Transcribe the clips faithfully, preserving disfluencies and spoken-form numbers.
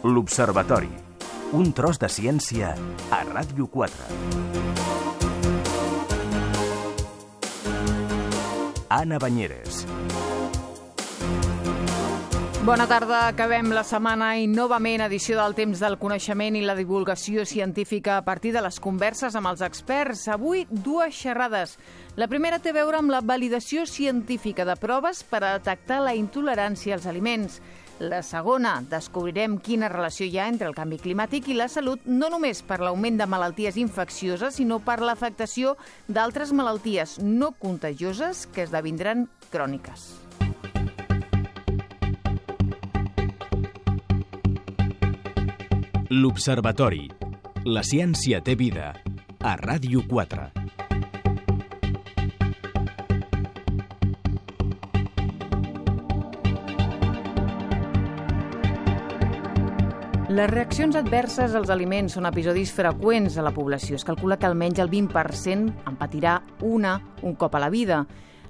L'Observatori. Un tros de ciència a Ràdio quatre. Anna Banyeres. Bona tarda, acabem la setmana i novament edició del Temps del Coneixement i la divulgació científica a partir de les converses amb els experts. Avui, dues xerrades. La primera té a veure amb la validació científica de proves per a detectar la intolerància als aliments. La segona, descobrirem quina relació hi ha entre el canvi climàtic i la salut, no només per l'augment de malalties infeccioses, sinó per l'afectació d'altres malalties no contagioses que esdevindran cròniques. L'Observatori. La ciència té vida. A Ràdio quatre. Les reaccions adverses als aliments són episodis freqüents a la població. Es calcula que almenys el vint per cent en patirà una un cop a la vida.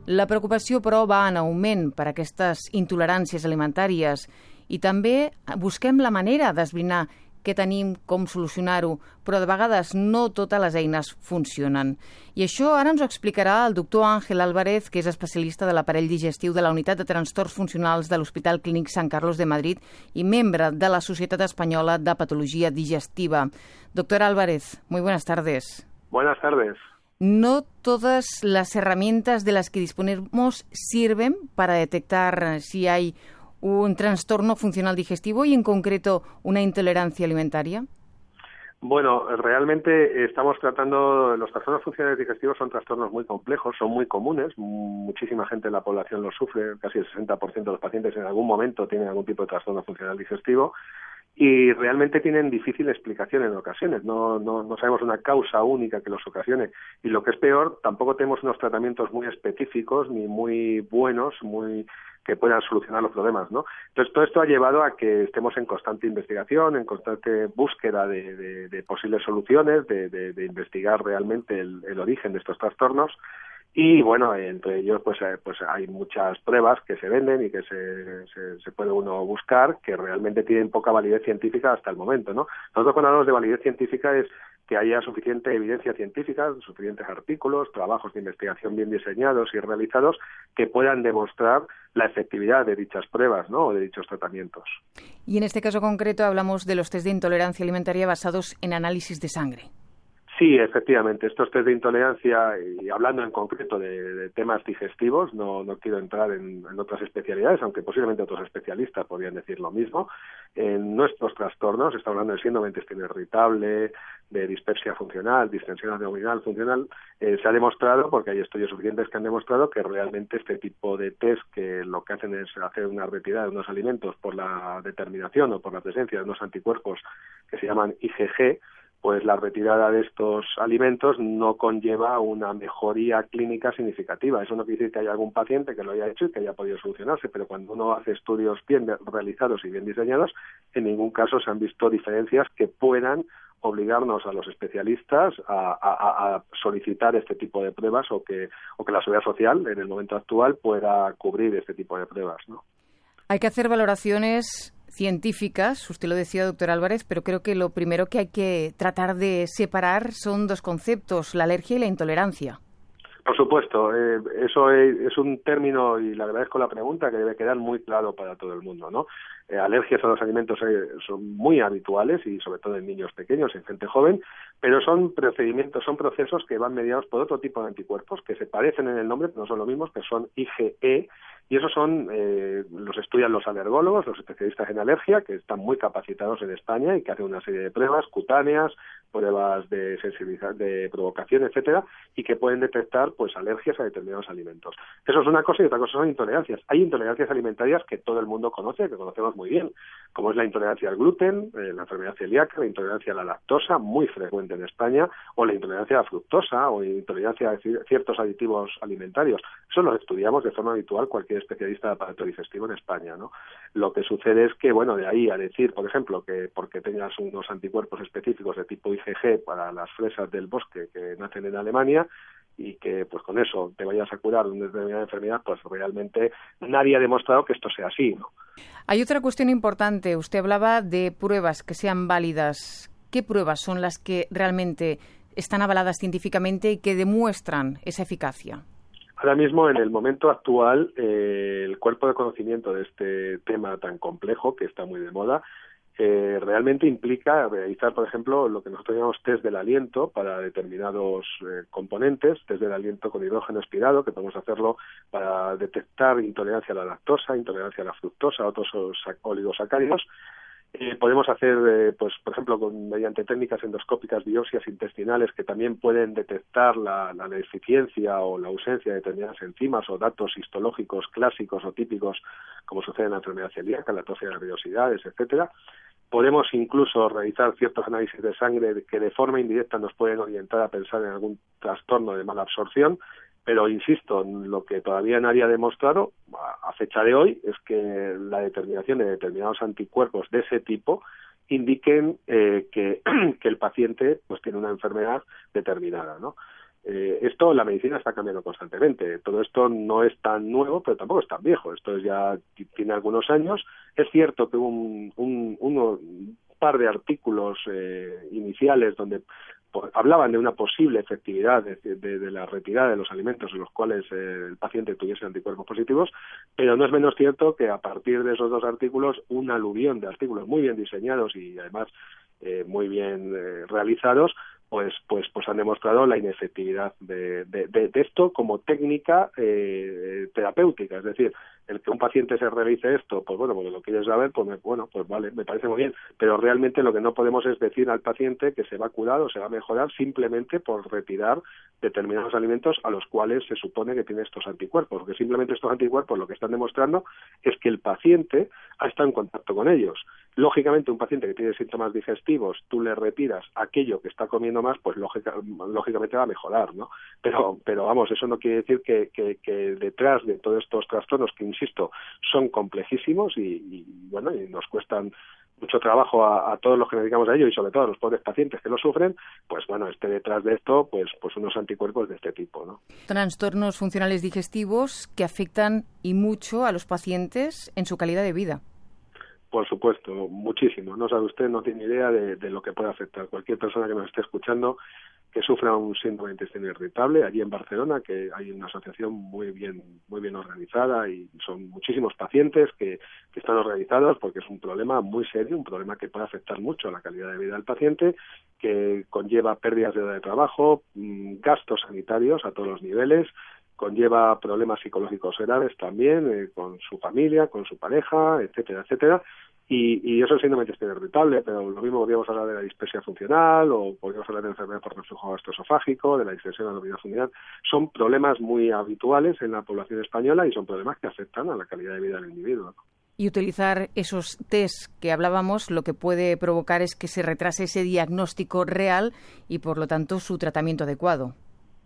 La preocupació, però, va en augment per aquestes intoleràncies alimentàries i també busquem la manera d'esbrinar què tenim, com solucionar-ho, però de vegades no totes les eines funcionen. I això ara ens ho explicarà el doctor Ángel Álvarez, que és especialista de l'aparell digestiu de la Unitat de Trastorns Funcionals de l'Hospital Clínic Sant Carlos de Madrid i membre de la Societat Espanyola de Patología Digestiva. Doctor Álvarez, muy buenas tardes. Buenas tardes. No todas las herramientas de las que disponemos sirven para detectar si hay un trastorno funcional digestivo y, en concreto, una intolerancia alimentaria? Bueno, realmente estamos tratando, los trastornos funcionales digestivos son trastornos muy complejos, son muy comunes, muchísima gente en la población los sufre, casi el sesenta por ciento de los pacientes en algún momento tienen algún tipo de trastorno funcional digestivo y realmente tienen difícil explicación en ocasiones, no, no, no sabemos una causa única que los ocasione y lo que es peor, tampoco tenemos unos tratamientos muy específicos ni muy buenos, muy que puedan solucionar los problemas, ¿no? Entonces, todo esto ha llevado a que estemos en constante investigación, en constante búsqueda de, de, de posibles soluciones, de, de, de investigar realmente el, el origen de estos trastornos. Y bueno, entre ellos pues, eh, pues hay muchas pruebas que se venden y que se, se, se puede uno buscar que realmente tienen poca validez científica hasta el momento, ¿no? Nosotros cuando hablamos de validez científica es que haya suficiente evidencia científica, suficientes artículos, trabajos de investigación bien diseñados y realizados que puedan demostrar la efectividad de dichas pruebas, ¿no? O de dichos tratamientos. Y en este caso concreto hablamos de los test de intolerancia alimentaria basados en análisis de sangre. Sí, efectivamente. Estos test de intolerancia, y hablando en concreto de, de temas digestivos, no, no quiero entrar en, en otras especialidades, aunque posiblemente otros especialistas podrían decir lo mismo. En nuestros trastornos, estamos hablando de síndrome de intestino irritable, de dispepsia funcional, distensión abdominal funcional, eh, se ha demostrado, porque hay estudios suficientes que han demostrado que realmente este tipo de test, que lo que hacen es hacer una retirada de unos alimentos por la determinación o por la presencia de unos anticuerpos que se llaman I G G, pues la retirada de estos alimentos no conlleva una mejoría clínica significativa. Eso no quiere decir que haya algún paciente que lo haya hecho y que haya podido solucionarse, pero cuando uno hace estudios bien realizados y bien diseñados, en ningún caso se han visto diferencias que puedan obligarnos a los especialistas a, a, a solicitar este tipo de pruebas o que, o que la seguridad social, en el momento actual, pueda cubrir este tipo de pruebas, ¿no? Hay que hacer valoraciones científicas, usted lo decía, doctor Álvarez, pero creo que lo primero que hay que tratar de separar son dos conceptos, la alergia y la intolerancia. Por supuesto, eh, eso es, es un término, y le agradezco la pregunta, que debe quedar muy claro para todo el mundo, ¿no? Eh, alergias a los alimentos eh, son muy habituales y sobre todo en niños pequeños, en gente joven, pero son procedimientos, son procesos que van mediados por otro tipo de anticuerpos que se parecen en el nombre, pero no son lo mismos, que son I G E, y esos son, eh, los estudian los alergólogos, los especialistas en alergia, que están muy capacitados en España y que hacen una serie de pruebas cutáneas, pruebas de sensibilidad, de provocación, etcétera, y que pueden detectar pues alergias a determinados alimentos. Eso es una cosa y otra cosa son intolerancias. Hay intolerancias alimentarias que todo el mundo conoce, que conocemos muy bien, como es la intolerancia al gluten, eh, la enfermedad celíaca, la intolerancia a la lactosa, muy frecuente en España, o la intolerancia a la fructosa, o intolerancia a ciertos aditivos alimentarios. Eso lo estudiamos de forma habitual cualquier especialista de aparato digestivo en España, ¿no? Lo que sucede es que, bueno, de ahí a decir, por ejemplo, que porque tengas unos anticuerpos específicos de tipo I G G para las fresas del bosque que nacen en Alemania, y que pues con eso te vayas a curar de una determinada enfermedad, pues realmente nadie ha demostrado que esto sea así, ¿no? Hay otra cuestión importante. Usted hablaba de pruebas que sean válidas. ¿Qué pruebas son las que realmente están avaladas científicamente y que demuestran esa eficacia? Ahora mismo, en el momento actual, eh, el cuerpo de conocimiento de este tema tan complejo, que está muy de moda, eh, realmente implica realizar, por ejemplo, lo que nosotros llamamos test del aliento para determinados eh, componentes, test del aliento con hidrógeno expirado, que podemos hacerlo para detectar intolerancia a la lactosa, intolerancia a la fructosa, otros oligosacáridos. Eh, podemos hacer, eh, pues, por ejemplo, con, mediante técnicas endoscópicas, biopsias intestinales que también pueden detectar la, la deficiencia o la ausencia de determinadas enzimas o datos histológicos clásicos o típicos, como sucede en la enfermedad celíaca, la tos de nerviosidades, etcétera. Podemos incluso realizar ciertos análisis de sangre que de forma indirecta nos pueden orientar a pensar en algún trastorno de mala absorción. Pero, insisto, lo que todavía nadie ha demostrado a fecha de hoy es que la determinación de determinados anticuerpos de ese tipo indiquen eh, que, que el paciente pues tiene una enfermedad determinada, ¿no? Eh, esto, la medicina está cambiando constantemente. Todo esto no es tan nuevo, pero tampoco es tan viejo. Esto ya tiene algunos años. Es cierto que hubo un, un, uno, un par de artículos eh, iniciales donde hablaban de una posible efectividad de, de, de la retirada de los alimentos en los cuales eh, el paciente tuviese anticuerpos positivos, pero no es menos cierto que a partir de esos dos artículos, un aluvión de artículos muy bien diseñados y además eh, muy bien eh, realizados, pues pues pues han demostrado la inefectividad de, de, de, de esto como técnica eh, terapéutica. Es decir, el que un paciente se realice esto, pues bueno, porque lo quieres saber, pues me, bueno, pues vale, me parece muy bien, pero realmente lo que no podemos es decir al paciente que se va a curar o se va a mejorar simplemente por retirar determinados alimentos a los cuales se supone que tiene estos anticuerpos, porque simplemente estos anticuerpos lo que están demostrando es que el paciente ha estado en contacto con ellos. Lógicamente, un paciente que tiene síntomas digestivos, tú le retiras aquello que está comiendo más, pues lógica, lógicamente va a mejorar, ¿no? Pero, pero vamos, eso no quiere decir que, que, que detrás de todos estos trastornos, que insisto, son complejísimos y, y bueno, y nos cuestan mucho trabajo a, a todos los que nos dedicamos a ello y sobre todo a los pobres pacientes que lo sufren, pues bueno, esté detrás de esto, pues, pues unos anticuerpos de este tipo, ¿no? Trastornos funcionales digestivos que afectan y mucho a los pacientes en su calidad de vida. Por supuesto, muchísimo. No sabe usted, no tiene idea de, de lo que puede afectar. Cualquier persona que nos esté escuchando que sufra un síndrome de intestino irritable, allí en Barcelona, que hay una asociación muy bien muy bien organizada y son muchísimos pacientes que, que están organizados porque es un problema muy serio, un problema que puede afectar mucho a la calidad de vida del paciente, que conlleva pérdidas de hora de trabajo, gastos sanitarios a todos los niveles, conlleva problemas psicológicos graves también, eh, con su familia, con su pareja, etcétera, etcétera. Y, y eso es síndrome de intestino irritable, pero lo mismo podríamos hablar de la dispepsia funcional o podríamos hablar de enfermedad por reflujo gastroesofágico, de la distensión abdominal. Son problemas muy habituales en la población española y son problemas que afectan a la calidad de vida del individuo. Y utilizar esos test que hablábamos lo que puede provocar es que se retrase ese diagnóstico real y, por lo tanto, su tratamiento adecuado.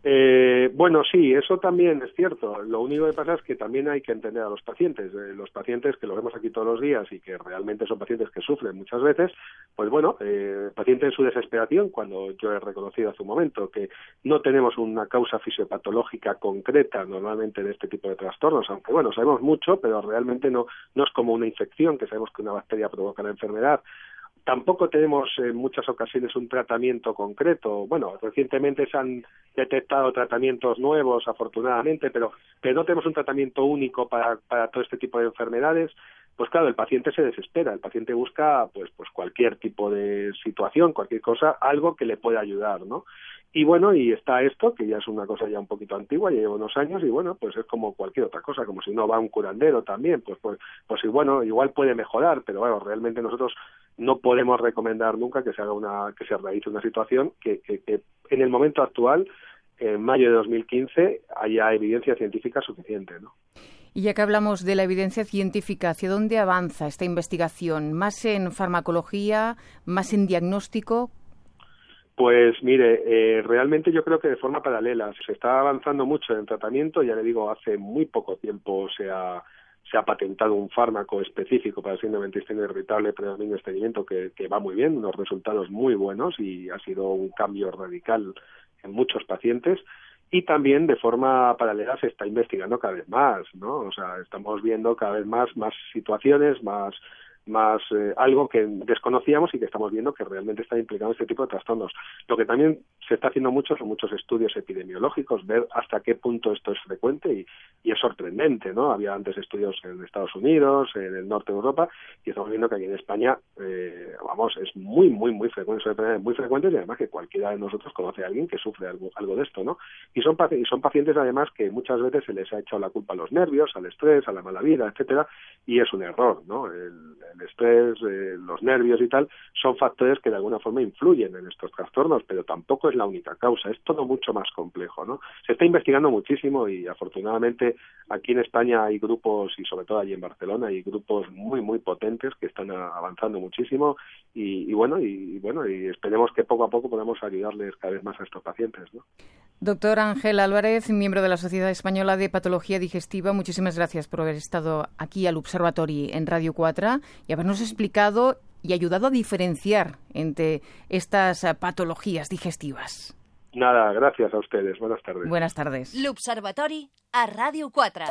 Eh, bueno, sí, eso también es cierto. Lo único que pasa es que también hay que entender a los pacientes. Eh, los pacientes que lo vemos aquí todos los días y que realmente son pacientes que sufren muchas veces, pues bueno, eh, paciente en su desesperación, cuando yo he reconocido hace un momento que no tenemos una causa fisiopatológica concreta normalmente de este tipo de trastornos, aunque bueno, sabemos mucho, pero realmente no, no es como una infección, que sabemos que una bacteria provoca la enfermedad. Tampoco tenemos en muchas ocasiones un tratamiento concreto. Bueno, recientemente se han detectado tratamientos nuevos, afortunadamente, pero, pero no tenemos un tratamiento único para, para todo este tipo de enfermedades. Pues claro, el paciente se desespera, el paciente busca pues, pues cualquier tipo de situación, cualquier cosa, algo que le pueda ayudar, ¿no? Y bueno, y está esto, que ya es una cosa ya un poquito antigua, ya lleva unos años, y bueno, pues es como cualquier otra cosa, como si uno va a un curandero también, pues pues pues y bueno, igual puede mejorar, pero bueno, realmente nosotros no podemos recomendar nunca que se haga una, que se realice una situación que, que, que en el momento actual, en mayo de dos mil quince, haya evidencia científica suficiente, ¿no? Y ya que hablamos de la evidencia científica, ¿hacia dónde avanza esta investigación? ¿Más en farmacología, más en diagnóstico? Pues mire, eh, realmente yo creo que de forma paralela. Se está avanzando mucho en tratamiento, ya le digo, hace muy poco tiempo se ha, se ha patentado un fármaco específico para el síndrome de intestino irritable predominio estreñimiento que, que va muy bien, unos resultados muy buenos y ha sido un cambio radical en muchos pacientes. y también de forma paralela se está investigando cada vez más, ¿no? O sea, estamos viendo cada vez más, más situaciones, más más eh, algo que desconocíamos y que estamos viendo que realmente está implicado en este tipo de trastornos. Lo que también se está haciendo mucho son muchos estudios epidemiológicos, ver hasta qué punto esto es frecuente y, y es sorprendente, ¿no? Había antes estudios en Estados Unidos, en el norte de Europa, y estamos viendo que aquí en España, eh, vamos, es muy, muy, muy frecuente, son muy frecuentes y además que cualquiera de nosotros conoce a alguien que sufre algo, algo de esto, ¿no? Y son, y son pacientes además que muchas veces se les ha echado la culpa a los nervios, al estrés, a la mala vida, etcétera, y es un error, ¿no? El, el estrés, eh, los nervios y tal, son factores que de alguna forma influyen en estos trastornos, pero tampoco es la única causa, es todo mucho más complejo, ¿no? Se está investigando muchísimo y afortunadamente aquí en España hay grupos, y sobre todo allí en Barcelona, hay grupos muy, muy potentes que están avanzando muchísimo y, y bueno, y, y bueno, y esperemos que poco a poco podamos ayudarles cada vez más a estos pacientes, ¿no? Doctor Ángel Álvarez, miembro de la Sociedad Española de Patología Digestiva, muchísimas gracias por haber estado aquí al Observatori en Radio cuatro y habernos explicado y ayudado a diferenciar entre estas patologías digestivas. Nada, gracias a ustedes. Buenas tardes. Buenas tardes. L'Observatori a Radio cuatro.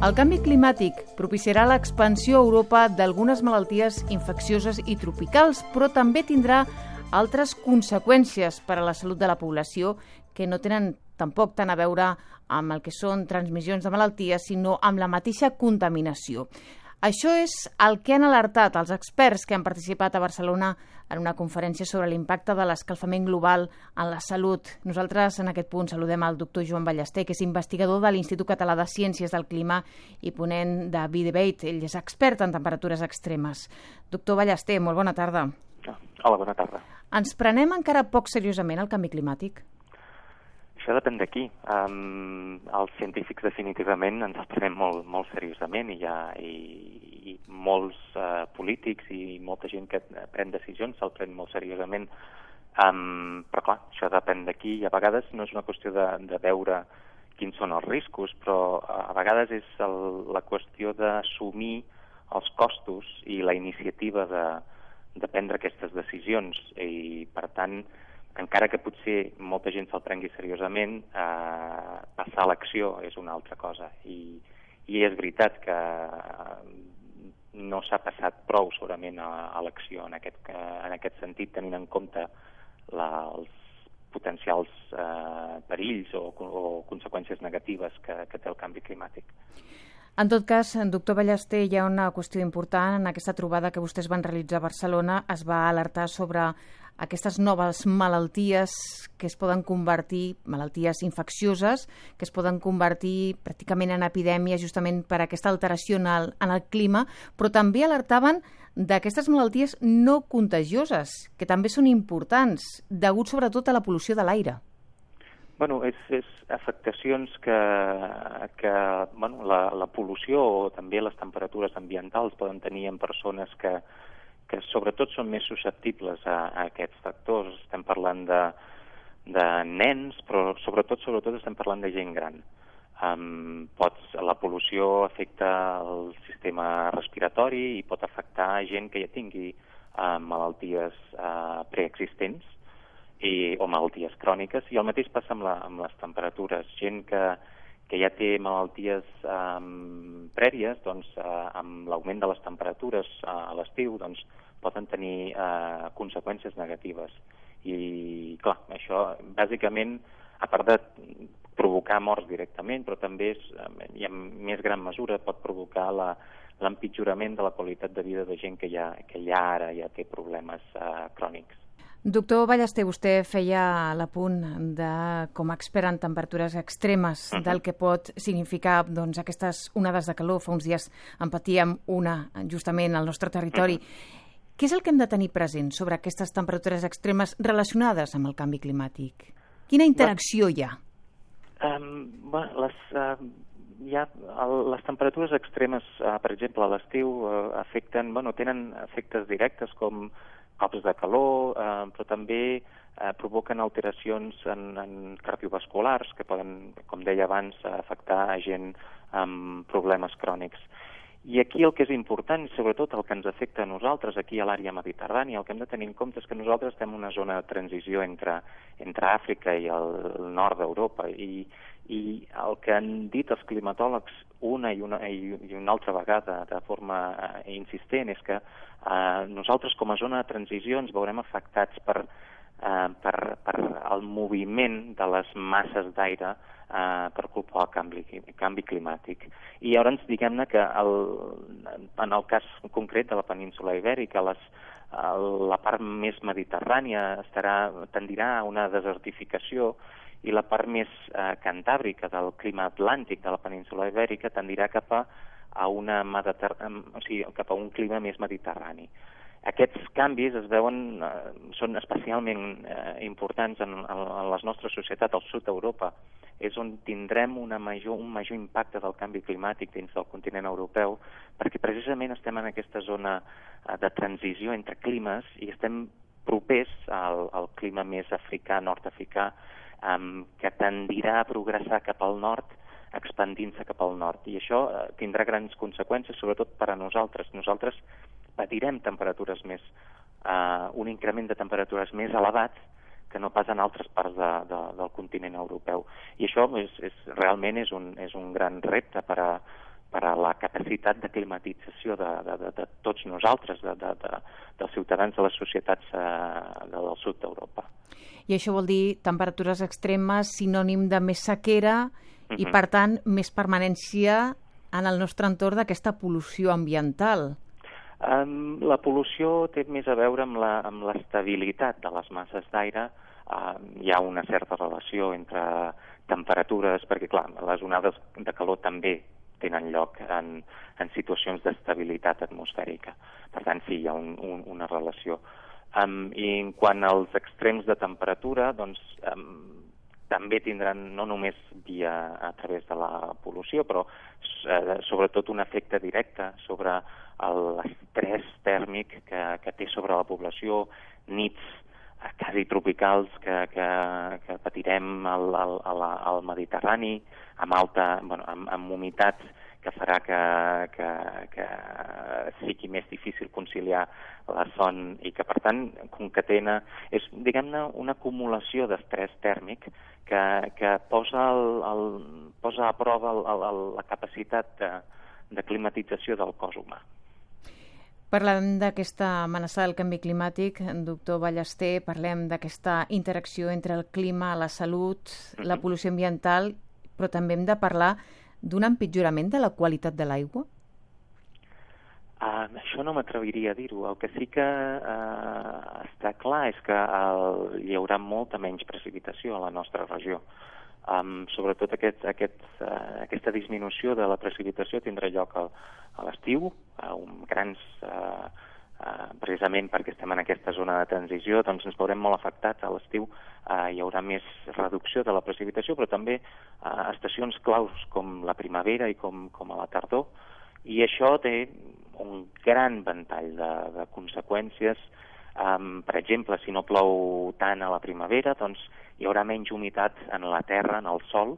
El canvi climàtic propiciarà l'expansió a Europa d'algunes malalties infeccioses i tropicals, però també tindrà altres conseqüències per a la salut de la població que no tenen tampoc tant a veure amb el que són transmissions de malalties, sinó amb la mateixa contaminació. Això és el que han alertat els experts que han participat a Barcelona en una conferència sobre l'impacte de l'escalfament global en la salut. Nosaltres en aquest punt saludem al doctor Joan Ballester, que és investigador de l'Institut Català de Ciències del Clima i ponent de B-Debate. Ell és expert en temperatures extremes. Doctor Ballester, molt bona tarda. Hola, bona tarda. Ens prenem encara poc seriosament el canvi climàtic? Això depèn d'aquí. Um, els científics definitivament ens els prenem molt, molt seriosament i, ha, i, i molts uh, polítics i molta gent que pren decisions se'l pren molt seriosament. Um, però clar, això depèn d'aquí i a vegades no és una qüestió de, de veure quins són els riscos, però a vegades és el, la qüestió d'assumir els costos i la iniciativa de, de prendre aquestes decisions i per tant encara que potser molta gent se'l prengui seriosament, eh, passar a l'acció és una altra cosa. I, i és veritat que no s'ha passat prou segurament a, a l'acció en aquest, en aquest sentit, tenint en compte la, els potencials eh, perills o, o conseqüències negatives que, que té el canvi climàtic. En tot cas, doctor Ballester, hi ha una qüestió important. En aquesta trobada que vostès van realitzar a Barcelona es va alertar sobre aquestes noves malalties que es poden convertir, malalties infeccioses, que es poden convertir pràcticament en epidèmies justament per aquesta alteració en el, en el clima, però també alertaven d'aquestes malalties no contagioses, que també són importants, degut sobretot a la pol·lució de l'aire. Bueno, és, és afectacions que, que bueno, la, la pol·lució o també les temperatures ambientals poden tenir en persones que, que sobretot són més susceptibles a, a aquests factors. Estem parlant de, de nens, però sobretot sobretot estem parlant de gent gran. Um, pots, la pol·lució afecta el sistema respiratori i pot afectar gent que ja tingui uh, malalties uh, preexistents I, o malalties cròniques, i el mateix passa amb, la, amb les temperatures. Gent que, que ja té malalties um, prèvies, doncs, uh, amb l'augment de les temperatures uh, a l'estiu, doncs, poden tenir uh, conseqüències negatives. I, clar, això, bàsicament, a part de provocar morts directament, però també, és, i en més gran mesura, pot provocar la, l'empitjorament de la qualitat de vida de gent que ja, que ja ara ja té problemes uh, crònics. Doctor Ballester, vostè feia l'apunt de, com a expert en temperatures extremes, uh-huh. del que pot significar doncs, aquestes onades de calor. Fa uns dies en patíem una justament al nostre territori. Uh-huh. Què és el que hem de tenir present sobre aquestes temperatures extremes relacionades amb el canvi climàtic? Quina interacció hi ha? Um, bueno, les, uh, hi ha el, les temperatures extremes, uh, per exemple, a l'estiu, uh, afecten, bueno, tenen efectes directes com cops de calor, uh, però també uh, provoquen alteracions en, en cardiovasculars que poden, com deia abans, afectar a gent amb problemes crònics. I aquí el que és important, sobretot el que ens afecta a nosaltres aquí a l'àrea mediterrània, el que hem de tenir en compte és que nosaltres estem en una zona de transició entre, entre Àfrica i el, el nord d'Europa, i, i el que han dit els climatòlegs una i una, i, i una altra vegada de forma uh, insistent és que uh, nosaltres com a zona de transició ens veurem afectats per, uh, per, per el moviment de les masses d'aire Uh, per culpa del canvi, canvi climàtic. I llavors, diguem-ne que el, en el cas concret de la península Ibèrica, les, el, la part més mediterrània estarà, tendirà a una desertificació i la part més uh, cantàbrica del clima atlàntic de la península Ibèrica tendirà cap a, a, una mediter... o sigui, cap a un clima més mediterrani. Aquests canvis es veuen, eh, són especialment eh, importants en, en, en les nostres societats al sud d'Europa. És on tindrem una major, un major impacte del canvi climàtic dins del continent europeu, perquè precisament estem en aquesta zona eh, de transició entre climes i estem propers al, al clima més africà, nord-africà, eh, que tendirà a progressar cap al nord, expandint-se cap al nord. I això eh, tindrà grans conseqüències, sobretot per a nosaltres. Nosaltres patirem temperatures més, uh, un increment de temperatures més elevat que no pas en altres parts de, de, del continent europeu. I això és, és, realment és un, és un gran repte per a, per a la capacitat de climatització de, de, de, de tots nosaltres, de, de, de, dels ciutadans de les societats uh, del sud d'Europa. I això vol dir temperatures extremes, sinònim de més sequera uh-huh. i, per tant, més permanència en el nostre entorn d'aquesta pol·lució ambiental. Um, la pol·lució té més a veure amb la, amb l'estabilitat de les masses d'aire. Uh, hi ha una certa relació entre temperatures, perquè clar, les onades de calor també tenen lloc en, en situacions d'estabilitat atmosfèrica. Per tant, sí, hi ha un, un, una relació. Um, I en quant als extrems de temperatura, doncs um, també tindran no només via a través de la pol·lució, però eh, sobretot un efecte directe sobre l'estrès tèrmic que, que té sobre la població, nits eh, quasi tropicals que, que, que patirem al, al, al Mediterrani, amb, alta, bueno, amb, amb humitat que farà que, que, que sigui més difícil conciliar la son i que, per tant, concatena, és, diguem-ne, una acumulació d'estrès tèrmic que, que posa, el, el, posa a prova el, el, la capacitat de, de climatització del cos humà. Parlant d'aquesta amenaça del canvi climàtic, doctor Ballester, parlem d'aquesta interacció entre el clima, la salut, mm-hmm. la pol·lució ambiental, però també hem de parlar d'un empitjorament de la qualitat de l'aigua? Uh, això no m'atreviria a dir-ho. El que sí que uh, està clar és que uh, hi haurà molta menys precipitació a la nostra regió. Um, sobretot aquest, aquest, uh, aquesta disminució de la precipitació tindrà lloc a, a l'estiu, a un grans, uh, uh, precisament perquè estem en aquesta zona de transició, doncs ens veurem molt afectats. A l'estiu uh, hi haurà més reducció de la precipitació, però també uh, estacions claus com la primavera i com, com a la tardor, i això té un gran ventall de, de conseqüències. Um, per exemple, si no plou tant a la primavera, doncs hi haurà menys humitat en la terra, en el sòl,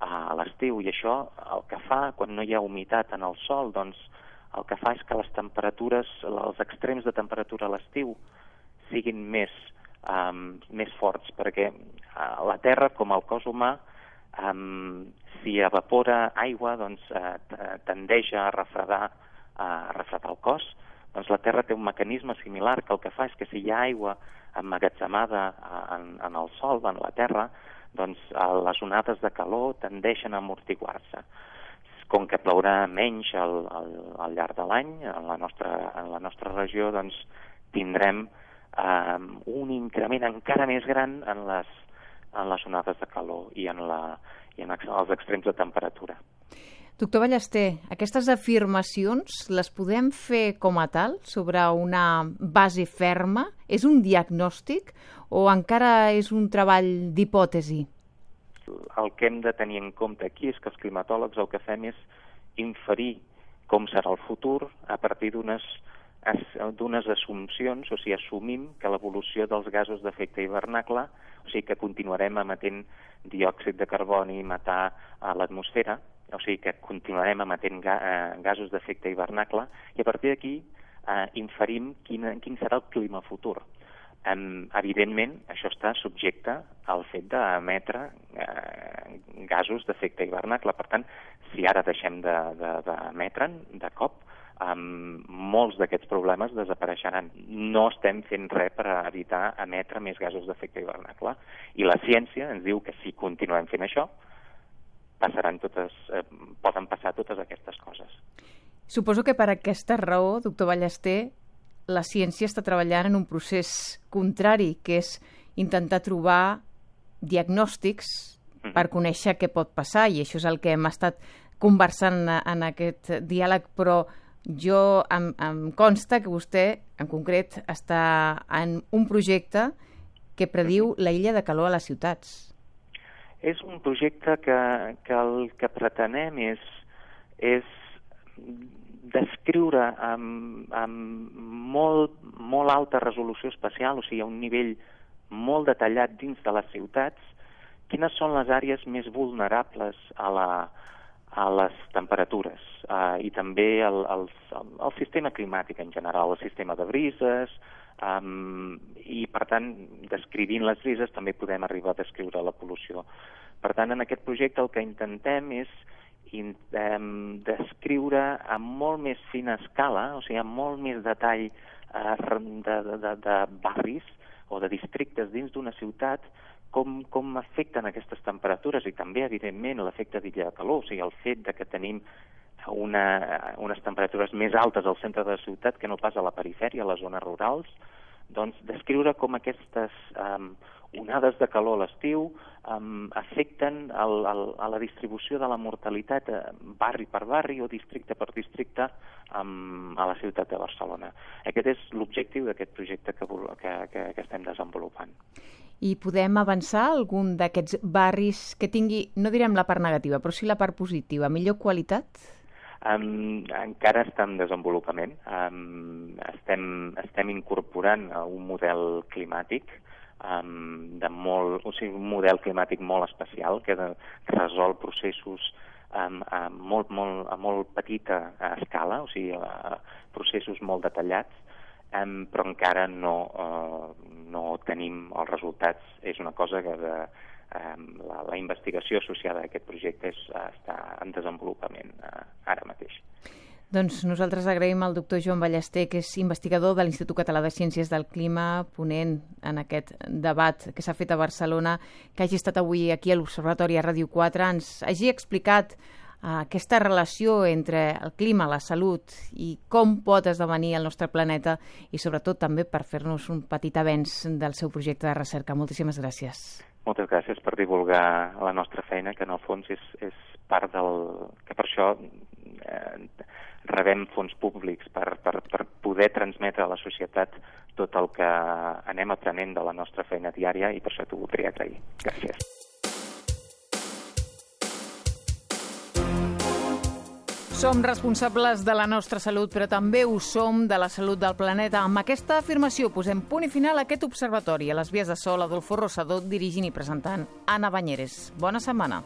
a l'estiu, i això el que fa, quan no hi ha humitat en el sòl, doncs el que fa és que les temperatures, els extrems de temperatura a l'estiu siguin més, um, més forts, perquè uh, la terra, com el cos humà, um, si evapora aigua, doncs uh, tendeix a refredar, uh, a refredar el cos. Doncs la Terra té un mecanisme similar que el que fa és que si hi ha aigua emmagatzemada en, en el sòl, en la Terra, doncs les onades de calor tendeixen a amortiguar-se. Com que plourà menys al, al, al llarg de l'any, en, la nostra, en la nostra regió, doncs tindrem eh, un increment encara més gran en les, en les onades de calor i en, la, i en els extrems de temperatura. Doctor Ballester, aquestes afirmacions les podem fer com a tal, sobre una base ferma? És un diagnòstic o encara és un treball d'hipòtesi? El que hem de tenir en compte aquí és que els climatòlegs el que fem és inferir com serà el futur a partir d'unes d'unes assumpcions, o sigui, assumim que l'evolució dels gasos d'efecte hivernacle, o sigui, que continuarem emetent diòxid de carboni, metà a l'atmosfera, o sigui, que continuarem emetent ga, eh, gasos d'efecte hivernacle, i a partir d'aquí eh, inferim quin, quin serà el clima futur. Um, evidentment, això està subjecte al fet d'emetre eh, gasos d'efecte hivernacle. Per tant, si ara deixem d'emetre'n de, de, de cop, um, molts d'aquests problemes desapareixeran. No estem fent res per evitar emetre més gasos d'efecte hivernacle. I la ciència ens diu que si continuem fent això, passaran totes, eh, poden passar totes aquestes coses. Suposo que per aquesta raó, doctor Ballester, la ciència està treballant en un procés contrari, que és intentar trobar diagnòstics mm-hmm. per conèixer què pot passar, i això és el que hem estat conversant en aquest diàleg, però jo em, em consta que vostè, en concret, està en un projecte que prediu mm-hmm. la illa de calor a les ciutats. És un projecte que, que el que pretenem és, és descriure amb, amb molt, molt alta resolució espacial, o sigui, a un nivell molt detallat dins de les ciutats, quines són les àrees més vulnerables a, la, a les temperatures uh, i també el, el, el sistema climàtic en general, el sistema de brises, um, i per tant, descrivint les brises també podem arribar a descriure la pol·lució. Per tant, en aquest projecte el que intentem és intentem descriure amb molt més fina escala, o sigui, amb molt més detall eh, de, de, de barris o de districtes dins d'una ciutat, com, com afecten aquestes temperatures i també, evidentment, l'efecte d'illa de calor, o sigui, el fet de que tenim una, unes temperatures més altes al centre de la ciutat que no pas a la perifèria, a les zones rurals, doncs descriure com aquestes um, onades de calor a l'estiu um, afecten el, el, a la distribució de la mortalitat eh, barri per barri o districte per districte um, a la ciutat de Barcelona. Aquest és l'objectiu d'aquest projecte que, que, que, que estem desenvolupant. I podem avançar algun d'aquests barris que tingui, no direm la part negativa, però sí la part positiva, millor qualitat? Um, encara està en desenvolupament. Um, estem, estem incorporant un model climàtic, um, de molt, o sigui, un model climàtic molt especial que de, resol processos um, a, molt, molt, a molt petita escala, o sigui, a, processos molt detallats, um, però encara no, uh, no tenim els resultats. És una cosa que de, La, la investigació associada a aquest projecte és, està en desenvolupament eh, ara mateix. Doncs nosaltres agraïm al doctor Joan Ballester, que és investigador de l'Institut Català de Ciències del Clima, ponent en aquest debat que s'ha fet a Barcelona, que hagi estat avui aquí a l'Observatori a Ràdio quatre, ens hagi explicat uh, aquesta relació entre el clima, la salut i com pot esdevenir el nostre planeta, i sobretot també per fer-nos un petit avenç del seu projecte de recerca. Moltíssimes gràcies. Moltes gràcies per divulgar la nostra feina, que en el fons és, és part del... que per això eh, rebem fons públics per, per, per poder transmetre a la societat tot el que anem aprenent de la nostra feina diària, i per això t'ho voldria agrair. Gràcies. Som responsables de la nostra salut, però també ho som de la salut del planeta. Amb aquesta afirmació posem punt i final a aquest observatori. A les vies de so, Adolfo Rossado, dirigint i presentant Anna Banyeres. Bona setmana.